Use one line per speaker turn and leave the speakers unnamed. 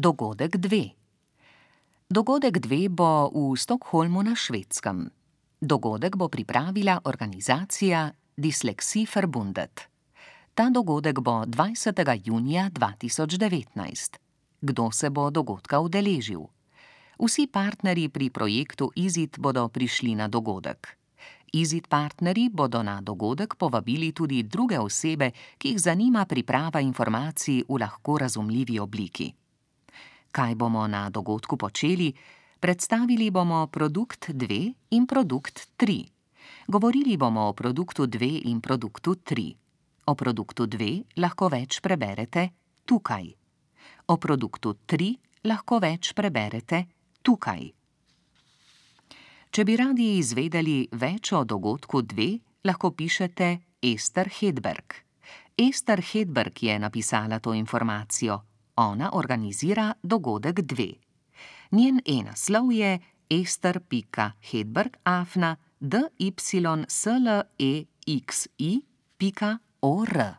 Dogodek 2. Dogodek 2 bo v Stockholmu na Švedskem. Dogodek bo pripravila organizacija Dyslexie-Verbundet. Ta dogodek bo 20. junija 2019. Kdo se bo dogodka udeležil? Vsi partnerji pri projektu IZID bodo prišli na dogodek. IZID partnerji bodo na dogodek povabili tudi druge osebe, ki jih zanima priprava informacij v lahko razumljivi obliki. Kaj bomo na dogodku počeli? Predstavili bomo produkt 2 in produkt 3. Govorili bomo o produktu 2 in produktu 3. O produktu 2 lahko več preberete tukaj. O produktu 3 lahko več preberete tukaj. Če bi radi izvedeli več o dogodku 2, lahko pišete Ester Hedberg. Ester Hedberg je napisala to informacijo. Ona organizira dogodek 2. Njen e-naslov je ester.hedberg@dyslexi.or